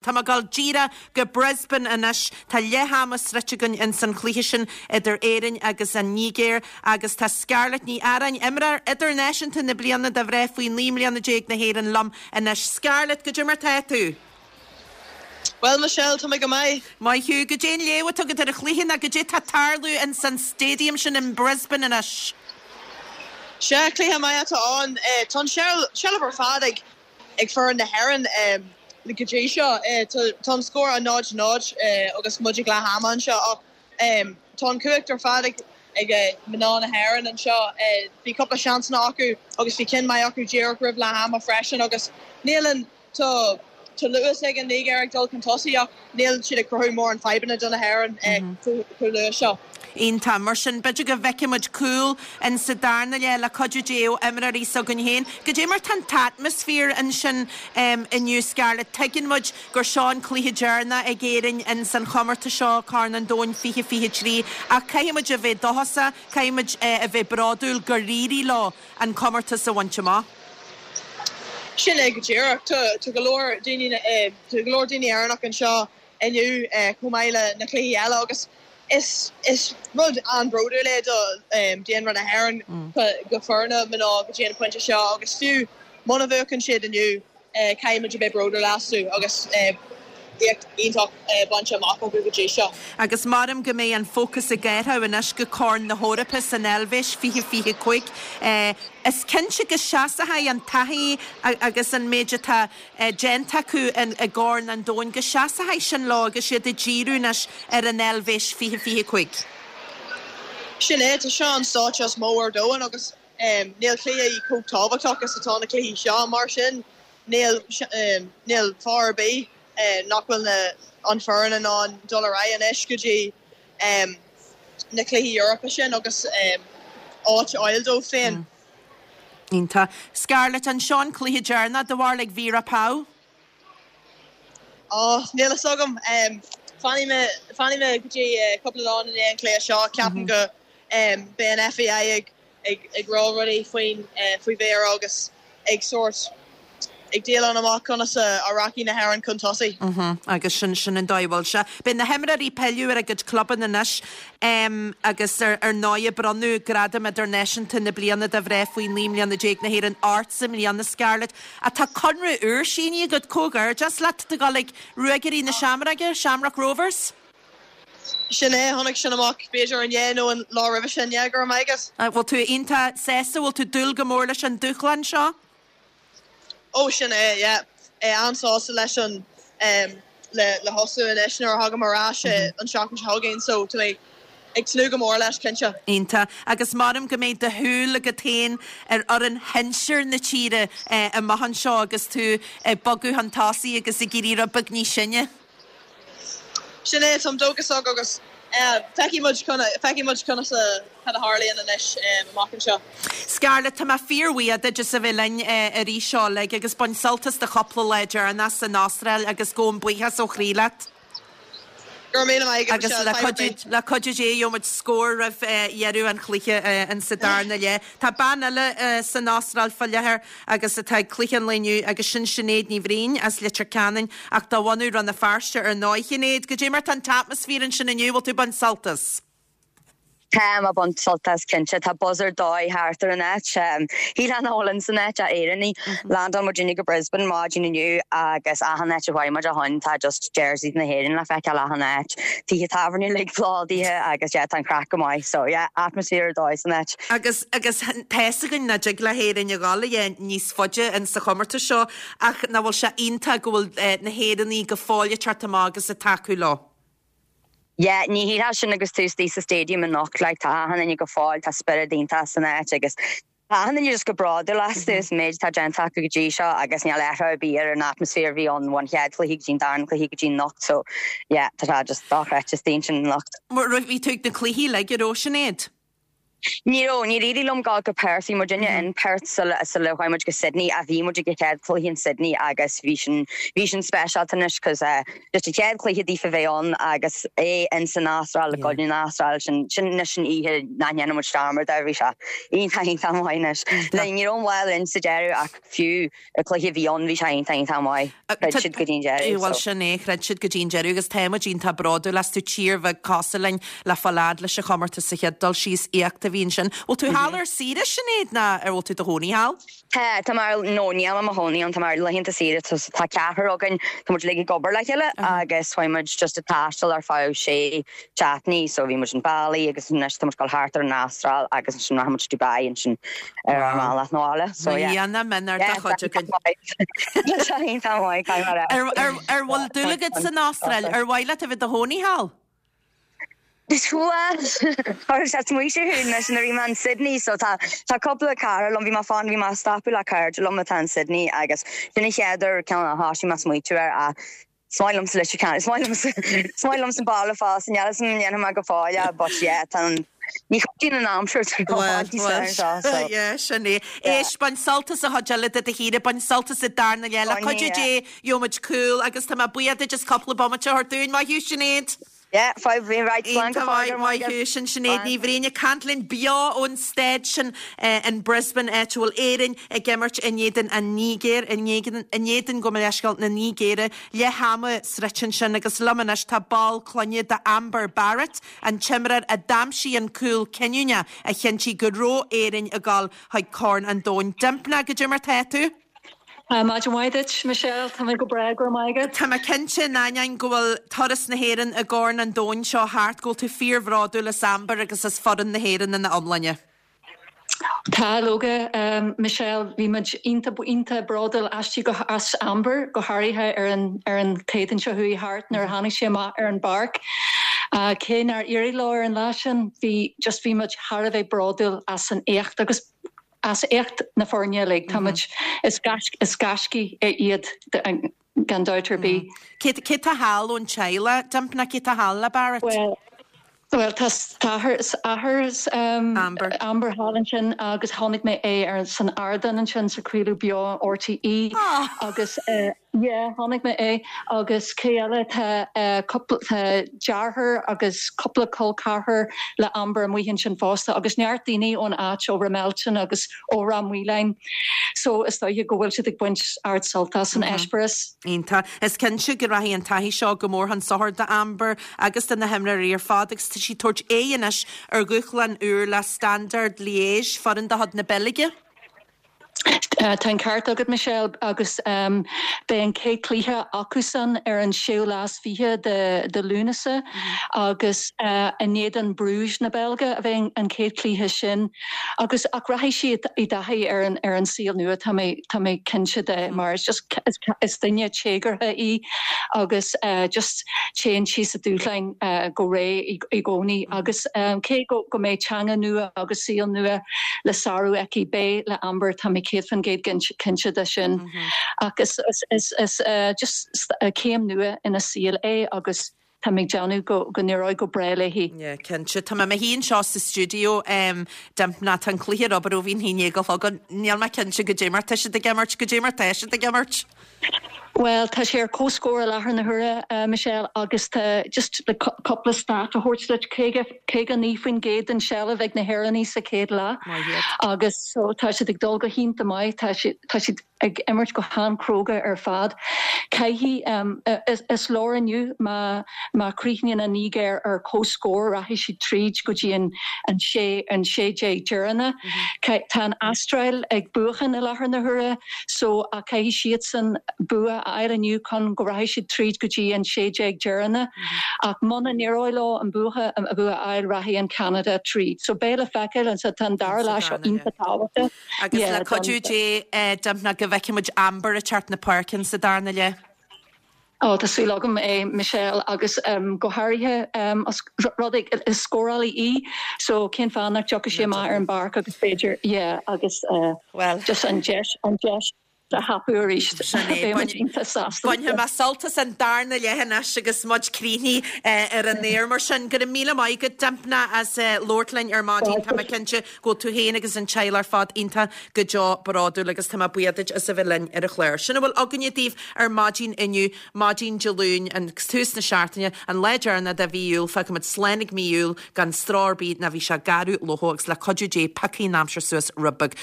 Tá mé ag dul díreach go Brisbane anois. Tá leath ama sroichte againn ins an chluiche sin idir Éirinn agus an Nigéir agus tá Scarlett Ní Earáin, imreoir idirnáisiúnta na bliana do mhná faoi 19 mbliana na hÉireann liom anois. Scarlett, goidé mar tá tú? Bhuel, Michelle, tá mé go maith. Maith thú. Goidé an léamh atá agat ar an chluiche nó goidé tá ag tarlú ins an stadium sin in Brisbane anois? Sea, cluiche maith atá ann. Tá an seilbh ar fad ag ag foireann na hÉireann go dtí seo. Tá an scór 0-0 agus muid ag leath ama anseo ach tá an chumhacht ar fad ag mná na hÉireann anseo. Bhí cúpla seansanna acu agus bhí ceann maith acu díreach roimh leath ama freisin agus níl an tá tá luas ag an Nigéir ag dul chun tosaigh ach níl siad ag cruthú mórán fadhbanna do na hÉireann chomh luath seo. Iontach. Mar sin, b'fhéidir go bhfeicfidh muid cúl in sa darna leath le cuidiú Dé ó imreoirí s'againn féin. Goidé mar tá an t-atmaisféar ansin inniu, Scarlett? Tuigeann muid gur seo an cluiche deireanach ag Éirinn in san chomórtas seo, Corn an Domhain 2023, ach caithfidh muid a bheith dóchasach, caithfidh muid a bheith bródúil gur éirigh leo an comórtas a bhaint amach. Sin é go díreach. Tá go leor daoine, tá go leor daoine Éireannach anseo inniu chomh maith le na cluichí eile agus is is rud an-bhródúil é do daonra na hÉireann go foirne mná go dtí an pointe seo agus fiú muna bhuachann siad inniu caithfidh muid a bheith bródúil astu agus éacht iontach bainte amach acu go dtí seo. Agus maram go mbeidh an fócas ag athrú anois go Corn na hEorpa san Eilvéis 2025. Is cinnte go seasfaidh an taithí agus an méid atá déanta acu i gCorn an Domhain, go seasfaidh sin leo agus iad ag díriú anois ar an Eilvéis 2025. Sin é, tá seo an stáitse is mó ar domhan agus níl cluiche chomh tábhachtach is atá na cluichí seo, mar sin níl níl fáth ar bith nach bhfuil na an foireann in ann dul ar aghaidh anois go dtí na cluichí Eorpacha sin agus áit a fháil dóibh féin. Iontach. Scarlett, an seo an cluiche deireanach do bharúil ag Vera Pauw? Ó, níl fhios agam. Fanfaidh mé, fanfaidh mé go dtí cúpla lá i ndiaidh an chluiche seo. Ceapaim go beidh an FAI ag ag rá rudaí faoin, faoi Vera agus ag sórt, ag déileáil amach conas a rachaidh na hÉireann chun tosaigh. Agus sin, sin an dóigh a bhfuil sé. Beidh na himreoirí ag pilleadh ar a gcuid clubanna anois agus ar ndóigh bronnadh Gradam Idirnáisiúnta na Bliana do Mhná faoi 19 mbliana na hÉireann ortsa i mbliana, Scarlett. Ach tá conradh úr sínithe agat, comhghairdeas leat, do dhul ag Ruagairí na Seamróige, Shamrock Rovers. Sin é, tháinig sin amach b'fhéidir inné nó an lá roimhe sin, yeah, go raibh maith agat. Bhfuil tú iontach sásta, bhfuil tú ag dúil go mór leis an dúshlán seo? Ó sin é, yeah. An-sásta leis an, le le thosú anois nuair a thagaim ar ais an tseachtain seo chugainn so tá mé ag tnúth go mór leis, cinnte. Iontach. Agus maram go mbeidh do shúil agat féin ar fhoireann shinsir na tíre amach anseo agus tú ag bogadh chun tosaigh agus ag éirí rud beag níos sine. Sin é, táim dóchasach agus feicfidh muid feicfidh muid conas a cad a tharlaíonn anois amach anseo. Scarlett, tá mé fíorbhuíoch duit as a bheith linn arís seo uilig agus bain sult as do chúpla lá deireanach san Astráil agus gabhaim buíochas ó chroí leat. Go raibh míle maith agat Agus Michelle, le fadhb ar cuidiú bith. le cuidiú Dé gheobhaidh muid scór roimh dheireadh an chluiche in sa darna leath. Tá bean eile san Astráil faoi láthair agus atá ag cluiche an lae inniu agus sin Sinéad Ní Bhriain as Leitir Ceanainn ach de bhunadh Rann na Feirste ar ndóigh. Sinéad, goidé mar tá an t-atmaisféar ansin inniu, bhfuil tú ag baint sult as? Táim ag baint sult as cinnte. Tá buzz ar dóigh thart ar an áit. Shílfeá nach bhfuil ins an áit ach Éireannaigh. Landáil muidinne go Brisbane maidin inniu agus achan áit a chuaigh muid ó shoin tá just jerseys na hÉireann le feiceáil achan áit. Tithe tábhairne uilig plódaithe agus yeah tá an craic go maith. So yeah, atmaisféar ar dóigh san áit. Agus agus tá's againn nach dtig le hÉirinn a dhul a dhath níos faide in sa chomórtas seo ach nach bhfuil sé iontach go bhfuil na hÉireannaigh go fóill ag teacht amach agus ag tacú leo. Yeah, ní shílfeá sin agus tú istigh sa stadium anocht, like tá achan duine go fóill, tá spiorad iontach san áit agus tá achan duine just go bródúil astu as an méid atá déanta acu go dtí seo agus níl athrú ar bith ar an atmaisféar a bhí ann ón chéad chluiche go dtí an darna cluiche go dtí anocht so yeah, tá sé just dochreidte istigh ansin anocht. Bhí tú ag na cluichí uilig, an raibh, Sinéad? Ní raibh, níor éirigh liom dul go Perth, bhí muidinne in Perth sula sula chuaigh muid go Sydney ach bhí muid ag an chéad cluiche in Sydney agus bhí sin bhí sin speisialta anois cos eh just an chéad cluiche daofa bheith ann agus é in san Astráil i gcoinne na hAstráile sin sin anois an oíche nach ndéanfaidh muid dearmad air bhí sé iontach iontach maith anois. Like ní raibh an ball linn sa deireadh ach fiú an cluiche a bhí ann bhí sé iontach iontach maith. Throid siad go dtí an deireadh Bhuel so. sin é, throid siad go dtí an deireadh agus tá muid iontach bródúil astu, tír bheag cosúil linn le fáil fhad leis an chomórtas sa chéad dul síos, éacht a bhí ansin. Bhfuil tú thall ar saoire Sinéad nó ar bhfuil tú i do chónaí thall? Tá, tá mé ar, no níl mé i mo chónaí ann, tá mé ar laethanta saoire so tá ceathrar againn, tá muid uilig ag obair le chéile agus chuaigh muid just ag taisteal ar feadh sé seachtainí so bhí muid in Bali agus anois tá muid ag dul thart ar an Astráil agus ansin rachaidh muid Dubai ansin ar ár mbealach 'na bhaile so yeah. Mbliana mionúr de chuid againn. Tá sé iontach maith, caithfidh mé a rá. Ar ar bhfuil dúil agat san Astráil? Ar mhaith leat a bheith i do chónaí thall? Bhuel, chuir sé smaoineamh thú anois nuair a bhí mé in Sydney so tá tá cúpla cara liom, bhí mé fan, bhí mé ag stopadh le cairde liom atá in Sydney agus sin an chéad uair ceann a thosaigh mé ag smaoitiú air ach Is maith liomsa Leitir Ceanainn, is maith liomsa, is maith liomsa an baile fosta, níl 'fhios a'm an ndéanfaidh mé go fóill é but yeah tá an, ní chuidíonn an aimsir tá an Bhuel, níos fearr anseo so bhuel, yeah, sin é. yeah. Éist, bain sult as an chuid eile de do shaoire, bain sult as an darna leath, le Bainfidh, cuidiú yeah. Dé, gheobhaimid cúl agus tá mé buíoch duit as cúpla bomaite a thabhairt dúinn. Maith thú, Sinéad. Yeah, fadhb, bhí right, slán go Iontach fóill, maith, go raibh maith maith agat. thú. Sin Sinéad Slán. Ní Bhriain ag caint linn beo ón staid sin in Brisbane, áit a bhfuil Éirinn ag imirt in éadan an Nigéir, in éadan, in éadan, gabh mo leithscéal, na Nigéire. Leath ama sroichte ansin agus liom anois tá ball clainne d'Amber Barrett, an t-imreoir a d'aimsigh an cúl cinniúnach a chinntigh go raibh Éirinn ag dul chuig Corn an Domhain. Dympna, goidé mar tá tú? Maidin mhaith duit, Michelle. Tá mé go breá, go raibh maith agat. Tá mé cinnte, in ainneoin go bhfuil turas na hÉireann i gCorn an Domhain seo thart, go bhfuil tú fíorbhródúil as Amber agus as foireann na hÉireann ina iomláine. Tá, leoga, Michelle. Bhí muid iontach, iontach bródúil aisti, go, as Amber, go háirithe ar an, ar an Chéadaoin seo chuaigh thart nuair a tháinig sí amach ar an bpáirc. Cé nár éirigh leo ar an lá sin, bhí, just bhí muid thar a bheith bródúil as an éacht agus, as éacht na foirne uilig. Tá muid, is is gaiscígh iad gan dabht ar bith. Cé cé tá thall ón teaghlach, Dympna, cé tá thall le Barrett? Bhuel, bhuel tá athair athair Amber. Amber thall ansin agus chonaic mé é ar san ardán ansin sa craoladh beo RTÉ agus Yeah, chonaic mé é. Agus cé eile? Tá cúpla, tá deartháir agus cúpla col ceathrar le Amber amuigh ansin fosta agus neart daoine ón áit, ó Ramelton agus ó Ráth Maoláin. So is dóiche go bhfuil siad ag baint ard-sult as an eispéireas. Iontach. Is cinnte go rachaidh an taithí seo go mór chun sochair d'Amber agus do na himreoirí ar fad agus tá sí ag tabhairt aghaidh anois ar dhúshlán úr le Standard Liège, foireann de chuid na Beilge. Tá an ceart agat, Michelle, agus beidh an chéad chluiche acusan ar an séú lá is fiche de Lúnasa agus in éadan Bruges na Beilge a bheidh an chéad chluiche sin. Agus ach rachaidh sí i dtaithí ar an ar an saol nua, tá mé tá mé cinnte de, mar is just is duine téagartha í agus just téann sí sa dúshláin go réidh i gcónaí. Agus cé go go mbeidh teanga nua agus saol nua le sárú aici. Beidh le Amber, tá mé 100% cinnte de sin. Ach is just céim nua ina saol é agus tá mé ag déanamh go n-éireoidh go breá léi. Yeah, cinnte. Tá mé i mo shuí anseo sa stiúideo, Dympna, tá an cluiche ar obair ó bhí an 11 a chlog ann. Níl mé cinnte goidé mar tá siad ag imirt, goidé mar tá siad ag imirt. Bhuel, tá sé ar comhscór i láthair na huaire, Michelle, agus tá just le cúpla stat a thabhairt duit, 59% den seilbh ag na hÉireannaigh sa chéad leath agus so tá siad ag dul go hiontach maith, tá siad, tá siad ag imirt go han-chróga ar fad. Caithfidh, is leor inniu má, má chríochnaíonn an Nigéir ar comhscór, rachaidh siad tríd go dtí an, an sé, an 16 deireanach. Tá an Astráil ag buachan i láthair na huaire. So ach caithfidh siadsan bua a fháil inniu chun go rachaidh siad tríd go dtí an 16 deireanach. Ach muna n-éireoidh leo an bua a fháil rachaidh an Ceanada tríd. So beidh le feiceáil anso tá an dara leath seo iontach tábhachtach. Agus le cuidiú Dé, Dympna, go bhfeicfidh muid Amber ag teacht na páirce sa darna leath. Ó, tá súil agam é, Michelle, agus go háirithe os rud é is scórálaí í, so cén fáth nach dtiocfadh sí amach ar an bpáirc agus b'fhéidir, yeah, agus Bhuel. just an deis, an deis. a thapú arís. Beidh muid iontach sásta. Bainfidh mé sult as an darna leath anois agus muid críochnaithe ar an aer. Mar sin, go raibh míle maith agat, Dympna, as labhairt linn ar maidin. Tá mé cinnte go bhfuil tú féin agus an teaghlach ar fad iontach go deo bródúil agus tá mé buíoch duit as a bheith linn ar an chlár. Sin a bhfuil againne daoibh ar maidin inniu, maidin Dé Luain, agus tús na seachtaine, an lá deireanach de mhí Iúil. Fágfaimid slán ag mí Iúil gan stró ar bith ná bhí sé garbh lofa agus le cuidiú Dé piocfaidh an aimsir suas rud beag.